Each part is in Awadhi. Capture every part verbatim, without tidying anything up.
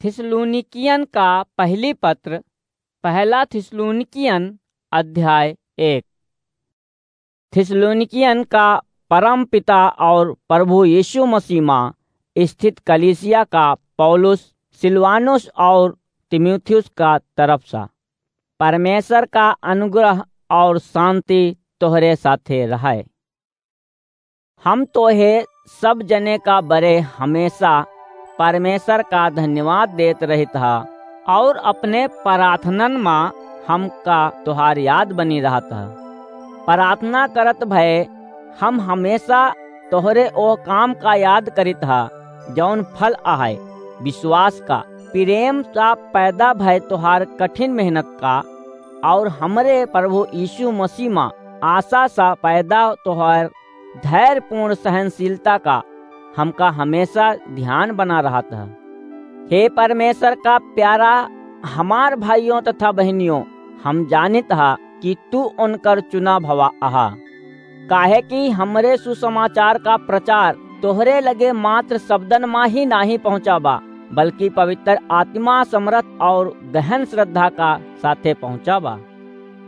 थिस्सलुनीकियन का पहली पत्र, पहला थिस्सलुनीकियन अध्याय एक। थिस्सलुनीकियन का परम पिता और प्रभु यीशु मसीह मा स्थित कलीसिया का पौलुस, सिलवानुस और तीमुथियुस का तरफ सा। परमेश्वर का अनुग्रह और शांति तोहरे साथे रहे। हम तोहे सब जने का बरे हमेशा परमेश्वर का धन्यवाद देत रहित हा और अपने प्रार्थनन मा हमका तोहार याद बनी रहत हा। प्रार्थना करत भए हम हमेशा तोहरे ओह काम का याद करित हा, जौन फल आहे विश्वास का, प्रेम सा पैदा भए तोहार कठिन मेहनत का, और हमरे प्रभु यीशु मसीह मा आशा सा पैदा तोहार धैर्यपूर्ण सहनशीलता का हमका हमेशा ध्यान बना रहत ह। हे परमेश्वर का प्यारा हमार भाइयों तथा बहनियों, हम जानित हा कि तू उनकर चुना भवा आहा, काहे कि हमरे सुसमाचार का प्रचार तोहरे लगे मात्र शब्दन मा ही नाही पहुँचा बा, बल्कि पवित्र आत्मा समरथ और गहन श्रद्धा का साथे पहुँचा बा।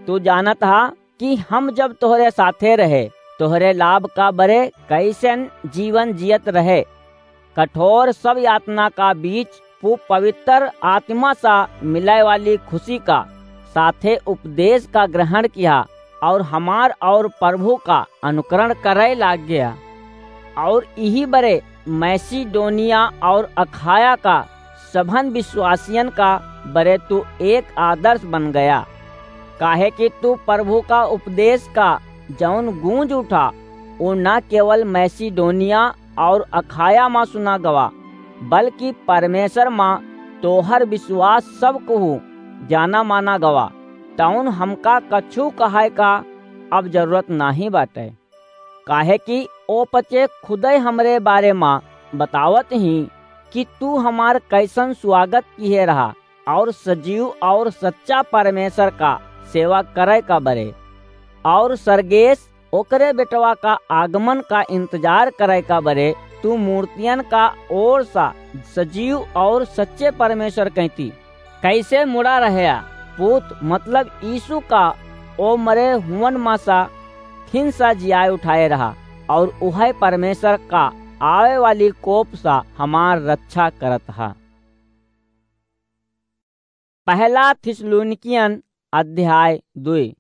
तू जानत हा कि हम जब तोहरे साथे रहे, तोहरे लाभ का बरे कैसन जीवन जियत रहे। कठोर सब यातना का बीच पु-, पवित्र आत्मा सा मिले वाली खुशी का साथे उपदेश का ग्रहण किया और हमार और प्रभु का अनुकरण करे लाग गया। और यही बरे मैसिडोनिया और अखाया का सभन विश्वासियन का बरे तू एक आदर्श बन गया, काहे कि तू प्रभु का उपदेश का जौन गूंज उठा, वो न केवल मैसिडोनिया और अखाया मा सुना गवा, बल्कि परमेश्वर मा तोहर विश्वास सब कहू जाना माना गवा। तौन हमका कछु कहाय का अब जरूरत नाही बाटे, काहे कि ओ पचे खुदे हमरे बारे मा बतावत ही कि तू हमार कैसन स्वागत किहे रहा और सजीव और सच्चा परमेश्वर का सेवा करे का बरे, और सर्गेस ओकरे बेटवा का आगमन का इंतजार करे का बरे तू मूर्तियन का ओर सा सजीव और सच्चे परमेश्वर कहती कैसे मुड़ा रहया, पूत मतलब यीशु का ओ मरे हुवन मा सा फिन सा जियाए उठाए रहा, और उहै परमेश्वर का आवे वाली कोप सा हमार रक्षा करत हा। पहला थिस्सलुनीकियन अध्याय दुई।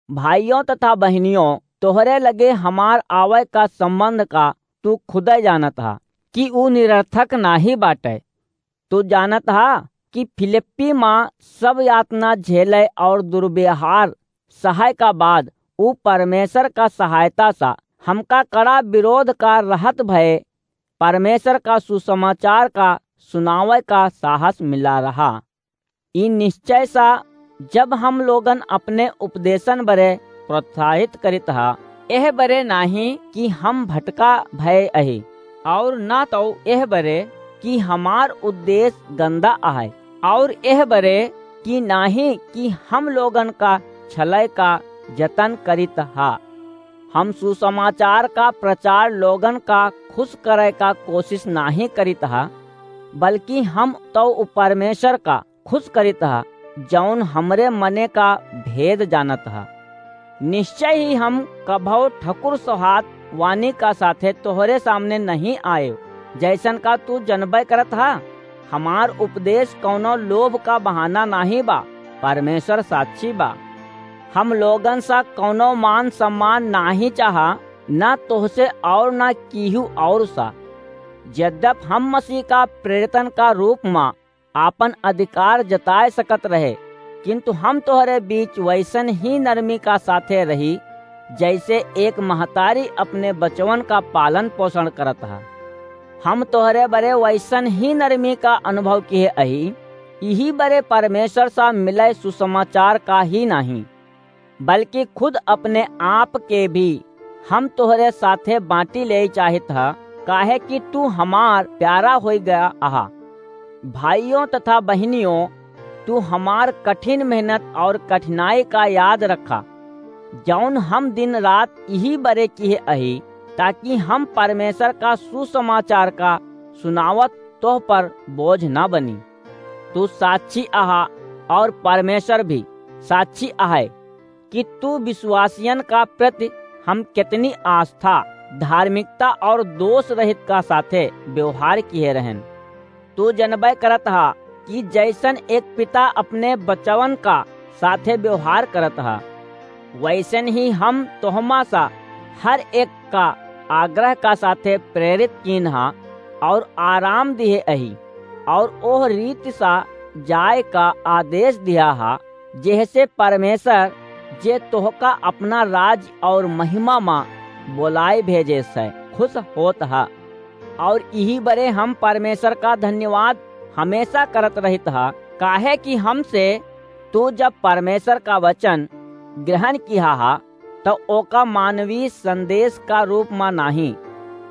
भाइयों तथा बहनियों, तोहरे लगे हमार आवे का संबंध का तू खुदे जानत हा कि ऊ निरर्थक नाही बाटे। तू जानत हा कि फिलिप्पी मा सब यातना झेले और दुर्व्यवहार सहे का बाद ऊ परमेश्वर का सहायता सा हमका कड़ा विरोध का रहत भए परमेश्वर का सुसमाचार का सुनावे का साहस मिला रहा। ई निश्चय सा जब हम लोगन अपने उपदेशन बरे प्रोत्साहित करित हा, एह बरे नाही कि हम भटका भय अही, और ना तो एह बरे कि हमार उद्देश्य गंदा आहे, और एह बरे कि नाही कि हम लोगन का छलय का जतन करित हा। हम सुसमाचार का प्रचार लोगन का खुश करे का कोशिश नाही करित हा, बल्कि हम तो उ परमेश्वर का खुश करित हा, जौन हमरे मने का भेद जानत हा। निश्चय ही हम कभौ ठकुर सोहात वानी का साथे तोहरे सामने नहीं आए, जैसन का तू जनबे करत हा। हमार उपदेश कौनो लोभ का बहाना नाही बा, परमेश्वर साक्षी बा। हम लोगन सा कौनो मान सम्मान नाही चाहा, ना तोहसे और ना कीहू और सा। यद्यप हम मसीह का प्रेरितन का रूप मा आपन अधिकार जताए सकत रहे, किंतु हम तोहरे बीच वैसन ही नरमी का साथे रही, जैसे एक महतारी अपने बचवन का पालन पोषण करत हा। हम तोहरे बरे वैसन ही नरमी का अनुभव किहे अही, यही बरे परमेश्वर सा मिले सुसमाचार का ही नाही, बल्कि खुद अपने आप के भी हम तोहरे साथे बांटी ले चाहित ह, काहे कि तू हमार प्यारा होई गया आहा। भाइयों तथा बहनियों, तू हमार कठिन मेहनत और कठिनाई का याद रखा, जौन हम दिन रात यही बरे किहे अही, ताकि हम परमेश्वर का सुसमाचार का सुनावत तोह पर बोझ न बनी। तू साक्षी अहा और परमेश्वर भी साक्षी अहै कि तू विश्वासियन का प्रति हम कितनी आस्था, धार्मिकता और दोष रहित का साथे व्यवहार किहे रहन। तू जनबै करत हा कि जैसन एक पिता अपने बचवन का साथे व्यवहार करत हा, वैसन ही हम तोहमा सा हर एक का आग्रह का साथे प्रेरित कीन हा और आराम दिहे अही और ओह रीति सा जाए का आदेश दिया हा, जेहसे परमेश्वर जे तोहका अपना राज और महिमा मा बोलाए भेजे से खुश होत हा। और इही बरे हम परमेश्वर का धन्यवाद हमेशा करत रहित हा, काहे कि हमसे तू जब परमेश्वर का वचन ग्रहण किहा हा, तो ओका मानवीय संदेश का रूप मा नाही,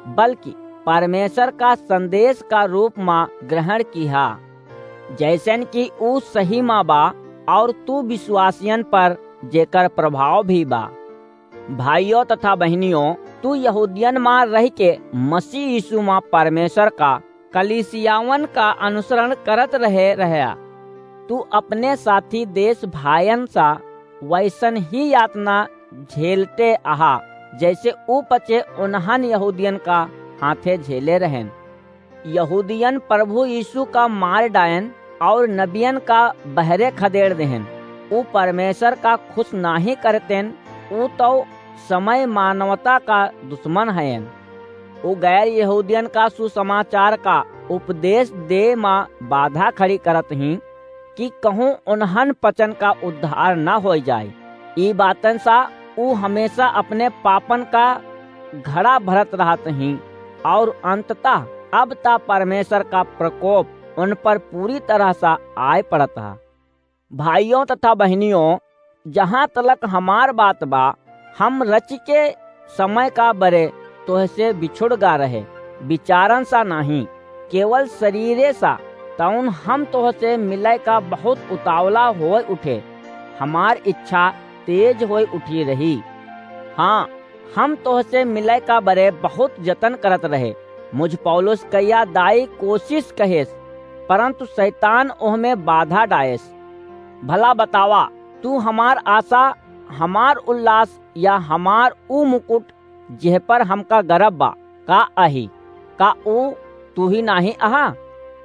बल्कि परमेश्वर का संदेश का रूप मा ग्रहण किहा, जैसन कि ऊ सही मा बा और तू विश्वासियन पर जेकर प्रभाव भी बा। भाइयों तथा बहनियों, तू यहूदियन मा रह के मसीह यीशु मा परमेश्वर का कलीसियावन का अनुसरण करत रहे रहया। तू अपने साथी देश भायन सा वैसन ही यातना झेलते अहा, जैसे ऊ पचे उन्हन यहूदियन का हाथे झेले रहन। यहूदियन प्रभु यीशु का मार डायन और नबियन का बहरे खदेड़ देहन। ऊ परमेश्वर का खुश नाही करतेन, ऊ तो समय मानवता का दुश्मन हयन। ऊ गैर यहूदियन का सुसमाचार का उपदेश दे मा बाधा खड़ी करत ही कि कहूँ उन्हन पचन का उद्धार न हो जाए। ई बातन सा ऊ हमेशा अपने पापन का घड़ा भरत रहत ही और अंततः अब ता परमेश्वर का प्रकोप उन पर पूरी तरह सा आए पड़त हा। भाइयों तथा बहनियों, जहाँ तलक हमार बात बा, हम रचि के समय का बरे तोहसे बिछुड़ गा रहे, विचारन सा नाही, केवल शरीरे सा, तउन हम तोहसे मिलय का बहुत उतावला होय उठे। हमार इच्छा तेज होय उठी रही। हाँ, हम तोहसे मिलय का बरे बहुत जतन करत रहे। मुझ पौलुस कइया दाई कोशिश कहेस, परंतु शैतान ओहमे बाधा डाएस। भला बतावा, तू हमार आशा, हमार उल्लास या हमार ऊ मुकुट, जेह पर हमका गर्व बा, का अही? का ऊ तू ही नाही अहा?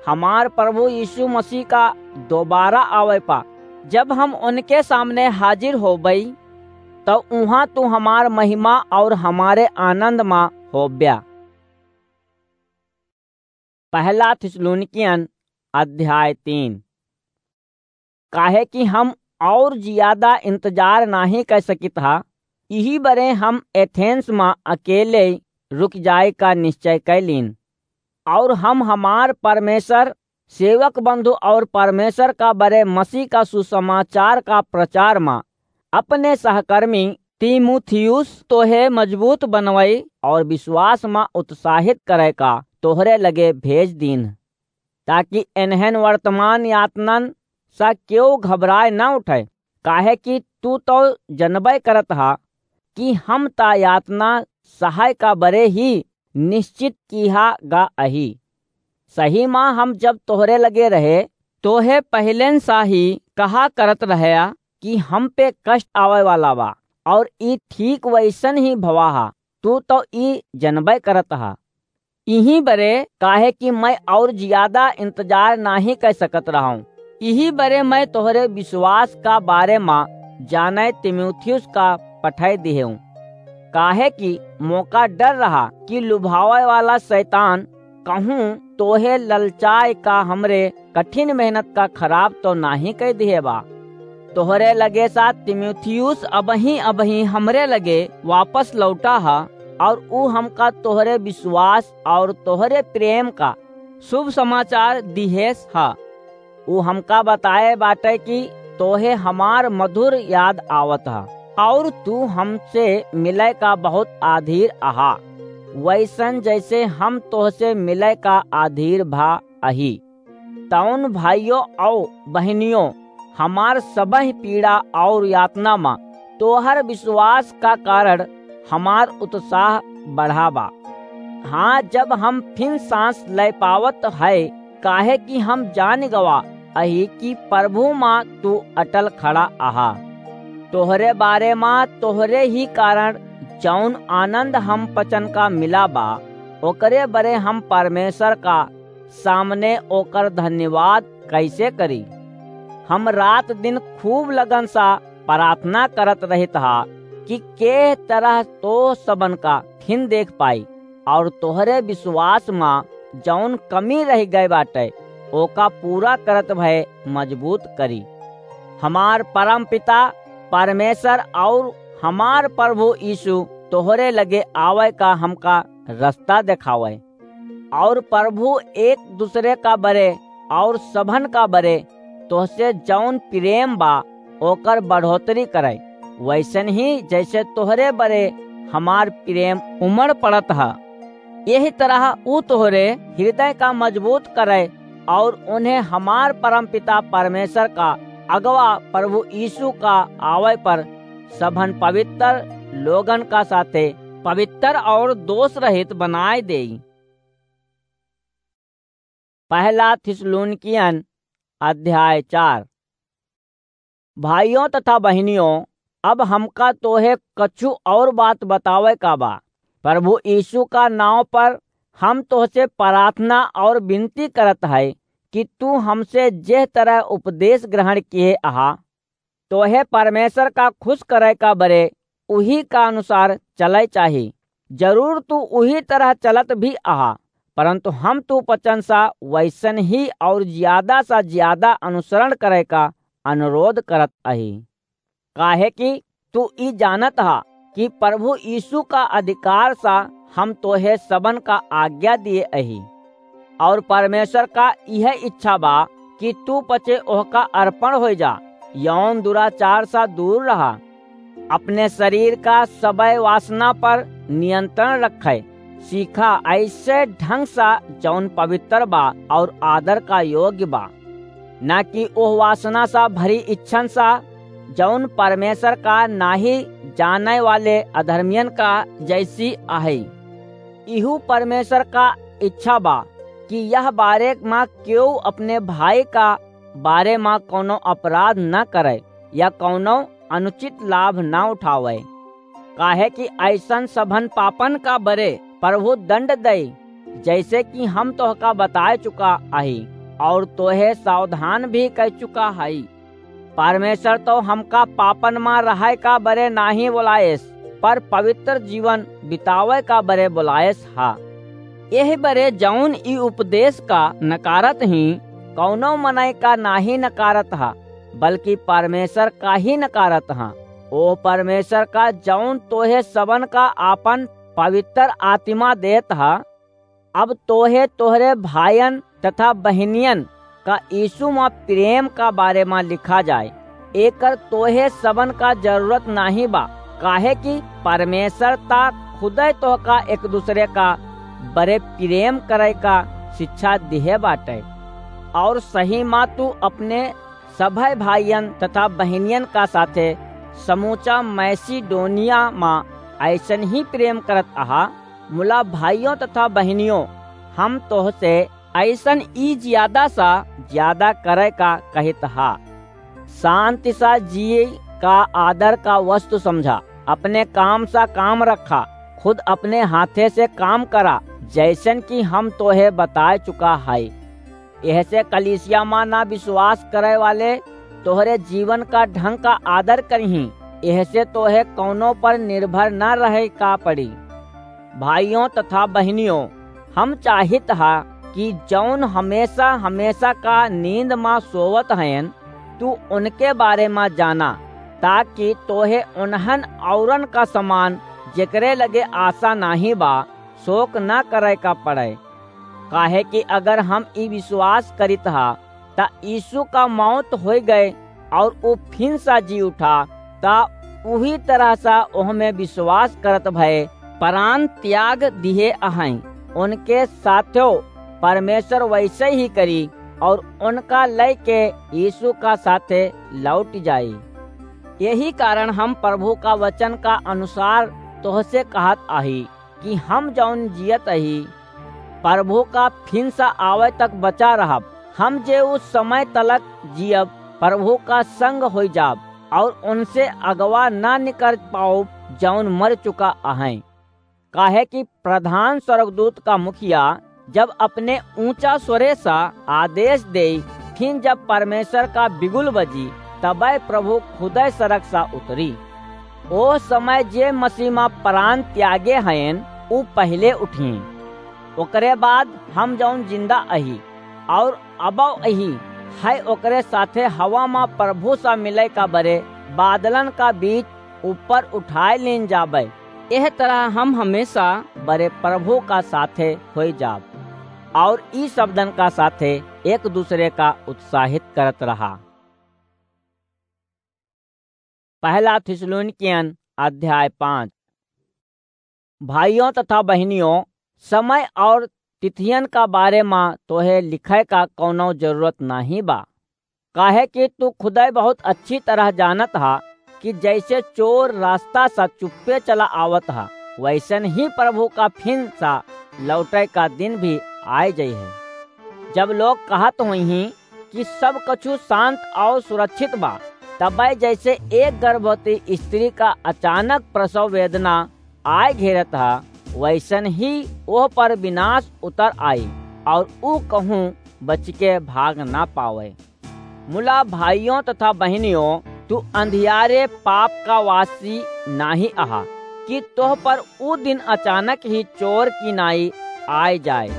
हमार प्रभु यीशु मसीह का दोबारा आवे पा, जब हम उनके सामने हाजिर होबई, तो उहाँ तू हमार महिमा और हमारे आनंद मा होब्या। पहला थिस्सलुनीकियन अध्याय तीन। काहे कि हम और जियादा इंतजार नाही कर सकित हा, इही बरे हम एथेंस मा अकेले रुक जाए का निश्चय कैलीन। और हम हमार परमेश्वर सेवक बंधु और परमेश्वर का बरे मसीह का सुसमाचार का प्रचार मा अपने सहकर्मी तीमुथियुस तोहे मजबूत बनवई और विश्वास मा उत्साहित करे का तोहरे लगे भेज दीन, ताकि एनहन वर्तमान यातनन सा केहू घबराए न उठे, काहे कि तू तो जनबे करत हा कि हम ता यातना सहाय का बरे ही निश्चित किहा गा अही। सही मा हम जब तोहरे लगे रहे, तोहे पहिलेन सा ही कहा करत रहया कि हम पे कष्ट आवे वाला बा, और ई ठीक वैसन ही भवा हा। तू तो ई जनबे करत हा। इही बरे काहे कि मैं और जियादा इंतजार नाही कर सकत रहूं। इही बरे मैं तोहरे विश्वास का बारे मा जाने तीमुथियुस का पठाई दिहेऊं। काहे कि मोका डर रहा कि लुभावे वाला शैतान कहूँ तोहे ललचाए का हमरे कठिन मेहनत का खराब तो नाही कर दिहे बा। तोहरे लगे सा तीमुथियुस अबही अबही हमरे लगे वापस लौटा हा, और ऊ हमका तोहरे विश्वास और तोहरे प्रेम का शुभ समाचार दिहेस हा। ऊ हमका बताए बाटे कि तोहे हमार मधुर याद आवत हा, और तू हमसे मिले का बहुत आधीर अहा, वैसन जैसे हम तोहसे मिले का आधीर भा अही। तउन भाइयों और बहनियों, हमार सबह पीड़ा और यातना मा तोहर विश्वास का कारण हमार उत्साह बढ़ा बा। हाँ, जब हम फिन सांस लै पावत है, काहे कि हम जान गवा अही कि प्रभु मा तू अटल खड़ा आहा। तोहरे बारे मा तोहरे ही कारण जौन आनंद हम पचन का मिला बा, ओकरे बरे हम परमेश्वर का सामने ओकर धन्यवाद कैसे करी? हम रात दिन खूब लगन सा प्रार्थना करत रहित हा कि के तरह तो सबन का फिन देख पाई और तोहरे विश्वास मा जौन कमी रह गए बाटे, ओका पूरा करत भए मजबूत करी। हमार परम पिता परमेश्वर और हमार प्रभु यीशु तोहरे लगे आवे का हमका रास्ता देखावे। और प्रभु एक दूसरे का बरे और सभन का बरे तोहसे जौन प्रेम बा, ओकर बढ़ोतरी करे, वैसन ही जैसे तोहरे बरे हमार प्रेम उमड़ पड़त ह। यही तरह ऊ तोहरे हृदय का मजबूत करे और उन्हें हमार परमपिता परमेश्वर का अगवा प्रभु यीशु का आवे पर सभन पवित्र लोगन का साथे पवित्र और दोष रहित बनाए देई। पहला थिस्सलुनीकियन अध्याय चार। भाइयों तथा बहिनियों, अब हमका तोहे कछु और बात बतावे का बा। प्रभु यीशु का नाव पर हम तोहसे प्रार्थना और विनती करत है कि तू हमसे जेह तरह उपदेश ग्रहण किए अहा, तोहे परमेश्वर का खुश करे का बरे उही का अनुसार चले चाही। जरूर तू उही तरह चलत भी अहा, परंतु हम तू पचन सा वैसन ही और ज्यादा सा ज्यादा अनुसरण करे का अनुरोध करत अही। काहे कि तू ई जानत हा कि प्रभु यीशु का अधिकार सा हम तोहे सबन का आज्ञा दिए अही, और परमेश्वर का यह इच्छा बा कि तू पचे ओहका अर्पण हो जा, यौन दुराचार सा दूर रहा, अपने शरीर का सबय वासना पर नियंत्रण रखे सीखा, ऐसे ढंग सा जौन पवित्र बा और आदर का योग्य बा, ना कि ओह वासना सा भरी इच्छन सा जौन परमेश्वर का नाही जाने वाले अधर्मियन का जैसी आहे। इहू परमेश्वर का इच्छा बा कि यह बारे मा केहू अपने भाई का बारे मा कौनो अपराध न करे या कौनो अनुचित लाभ न उठावे, काहे कि ऐसन सभन पापन का बरे प्रभु दंड दे, जैसे कि हम तोहका बताए चुका अही और तोहे सावधान भी कर चुका हई। परमेश्वर तो हमका पापन मा रहे का बरे नाही बोलाएस, पर पवित्र जीवन बितावे का बरे बोलाएस हा। यह बरे जौन ई उपदेश का नकारत ही, कौनो मनय का नाही नकारत हा, बल्कि परमेश्वर का ही नकारत हा। ओ परमेश्वर का जौन तोहे सबन का आपन पवित्र आत्मा देत हा, अब तोहे तोहरे भाइयन तथा बहिनियन का यीशु मा प्रेम का बारे मा लिखा जाए। एकर तोहे सबन का जरूरत नाही बा, काहे कि परमेश्वर ता खुदे तोहका एक दूसरे का बरे प्रेम करे का शिक्षा दिहे बाटे। और सही मा तू अपने सभे भाइयन तथा बहिनियन का साथे समूचा मैसिडोनिया मा ऐसन ही प्रेम करत अहा। मुला भाइयों तथा बहिनियों, हम तोहसे ऐसन ई ज्यादा सा ज्यादा करे का कहित हा। शांति सा जिए का आदर का वस्तु समझा, अपने काम सा काम रखा, खुद अपने हाथे से काम करा, जैसन कि हम तोहे बताए चुका है। एहसे कलीसिया मा ना विश्वास करे वाले तोहरे जीवन का ढंग का आदर करिहीं, एहसे तोहे कौनो पर निर्भर ना रहे का पड़ी। भाइयों तथा बहिनियों, हम चाहित हा कि जौन हमेशा हमेशा का नींद मा सोवत हयन, तू उनके बारे मा जाना, ताकि तोहे उन्हन औरन का समान, जेकरे लगे आशा नाही बा, शोक ना करे का पड़े। काहे कि अगर हम ई विश्वास करित हा, त यीशु का मौत होई गए और ऊ फिन सा जी उठा, त उही तरह सा ओहमे विश्वास करत भए प्राण त्याग दिहे अहैं, उनके साथो परमेश्वर वैसे ही करी और उनका लइके यीशु का साथे लौट जाई। यही कारण हम प्रभु का वचन का अनुसार तोहसे कहत आही, कि हम जौन जियत अही, प्रभु का फिन सा आवै तक बचा रहब। हम जे उस समय तलक जियब, प्रभु का संग होइ जाब और उनसे अगवा ना निकर पाउब, जौन मर चुका अहैं। काहे कि प्रधान स्वर्गदूत का मुखिया जब अपने ऊंचा स्वरे सा आदेश देई, फिर जब परमेश्वर का बिगुल बजी, तबै प्रभु खुदै सड़क सा उतरी। ओ समय जे मसीह मा प्राण त्यागे हयन, उ पहिले उठियें। ओकरे बाद हम जौन जिंदा अही और अबौ अही, है ओकरे साथे हवा मा प्रभु सा मिलै का बरे बादलन का बीच ऊपर उठाए लीन जाबै। एह तरह हम हमेशा बरे प्रभु का साथे होई जाब और ई शब्दन का साथे एक दूसरे का उत्साहित करत रहा। पहला थिस्सलुनीकियन अध्याय पाँच। भाइयों तथा बहिनियों, समय और तिथियन का बारे मा तोहे लिखै का कौनो जरूरत नाहीं बा, काहे कि तू खुदै बहुत अच्छी तरह जानत हा कि जैसे चोर रास्ता सा चुप्पे चला आवत हा, वैसन ही प्रभु का फिन सा लौटै का दिन भी आय जइहै। जब लोग कहत होइहीं कि सब कछु शांत और सुरक्षित बा, तबै जैसे एक गर्भवती स्त्री का अचानक प्रसव वेदना आय घेरत हा, वैसन ही ओह पर विनाश उतर आई और ऊ कहूँ बचिके भाग ना पावै। मुला भाइयों तथा बहिनियों, तू अंधियारे पाप का वासी नाहीं अहा कि तोह पर ऊ दिन अचानक ही चोर की नाई आय जाय।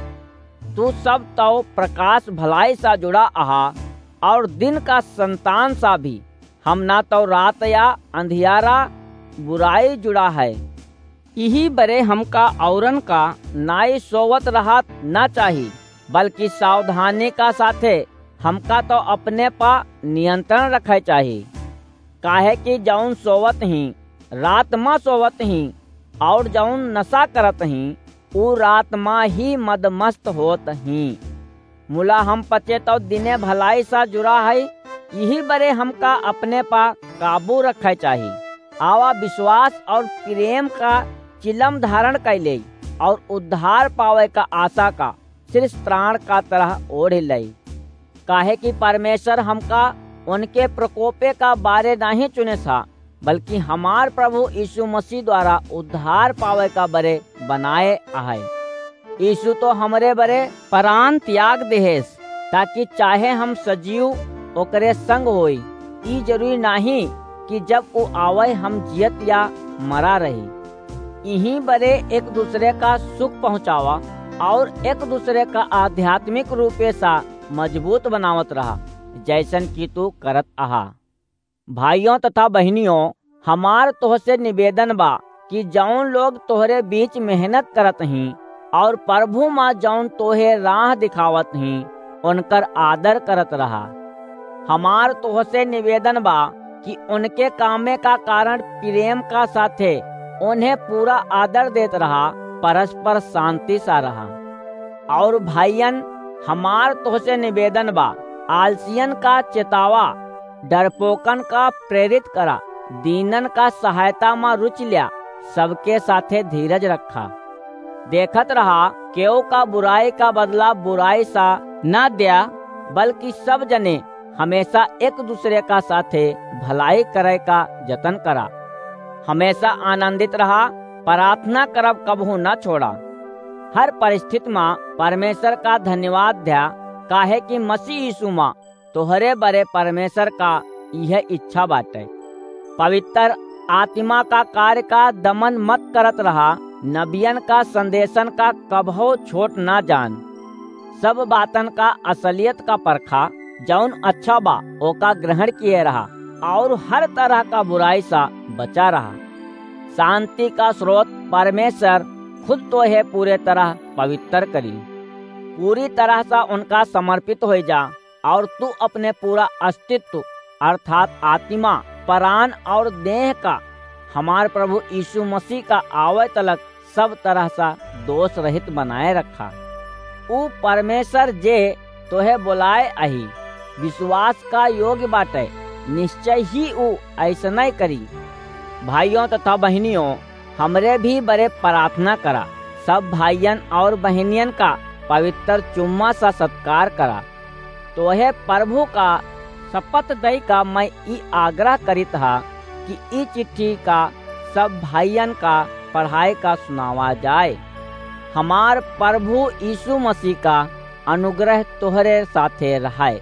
तू सब तौ प्रकाश भलाई सा जुड़ा अहा और दिन का संतान सा भी। हम ना तौ रात या अंधियारा बुराई जुड़ा है। इही बरे हमका औरन का नाई सोवत रहत ना चाही, बल्कि सावधानी का साथे हमका तौ अपने पा नियंत्रण रखै चाही। काहे कि जौन सोवत हीं, रात मा सोवत हीं, और जौन नशा करत हीं, ऊ रात मा ही मदमस्त होत हीं। मुला हम पचे तौ दिने भलाई सा जुरा है, इही बरे हमका अपने पा काबू रखै चाही। आवा विश्वास और प्रेम का चिलम धारण कै लेई और उद्धार पावै का आशा का शीर्ष त्राण का तरह ओढ़ लेई। काहे कि परमेश्वर हमका उनके प्रकोपे का बारे नाहीं चुने था, बल्कि हमार प्रभु यीशु मसीह द्वारा उद्धार पावै का बरे बनाए आहे। यीशु तो हमरे बरे प्राण त्याग देहेस, ताकि चाहे हम सजीव ओकरे संग होई। ई जरूरी नाहीं कि जब ऊ आवै हम जियत या मरा रही। इही बरे एक दूसरे का सुख पहुँचावा और एक दूसरे का आध्यात्मिक रूपे सा मजबूत बनावत रहा, जैसन कि तू करत अहा। भाइयों तथा बहिनियों, हमार तोहसे निवेदन बा कि जौन लोग तोहरे बीच मेहनत करत हीं और प्रभु मा जौन तोहे राह दिखावत हीं, उनकर आदर करत रहा। हमार तोहसे निवेदन बा कि उनके कामे का कारण प्रेम का साथे उन्हें पूरा आदर देत रहा, परस्पर शांति सा रहा। और भाइयन, हमार तोहसे निवेदन बा, आलसियन का चेतावा, डरपोकन का प्रेरित करा, दीनन का सहायता मा रुचि ल्या, सबके साथे धीरज रखा। देखत रहा, केहू का बुराई का बदला बुराई सा ना द्या, बल्कि सब जने हमेशा एक दूसरे का साथे भलाई करै का जतन करा। हमेशा आनंदित रहा, प्रार्थना करब कबहू ना छोड़ा। हर परिस्थिति मा परमेश्वर का धन्यवाद द्या, काहे कि मसीह यीशु मा तोहरे बरे परमेश्वर का इहे इच्छा बाटे। पवित्र आत्मा का कार्य का दमन मत करत रहा, नबियन का संदेशन का कबहू छोट ना जान। सब बातन का असलियत का परखा, जौन अच्छा बा, ओका ग्रहण किए रहा, और हर तरह का बुराई सा बचा रहा। शांति का स्रोत परमेश्वर खुद तोहे पूरे तरह पवित्र करी। पूरी तरह सा उनका समर्पित होइ जा, और तू अपने पूरा अस्तित्व अर्थात आत्मा, प्राण और देह का हमार प्रभु यीशु मसीह का आवै तलक सब तरह सा दोष रहित बनाए रखा। ऊ परमेश्वर जे तोहे बोलाए अही, विश्वास का योग्य बाटे, निश्चय ही ऊ ऐसनै करी। भाइयों तथा बहिनियों, हमरे भी बरे प्रार्थना करा, सब भाइयन और बहिनियन का पवित्र चुम्मा सा सत्कार करा। तोहे प्रभु का शपथ दई का मैं ई आग्रह करित हा कि ई चिट्ठी का सब भाइयन का पढ़ाए का सुनावा जाए। हमार प्रभु यीशु मसीह का अनुग्रह तोहरे साथे रहाए।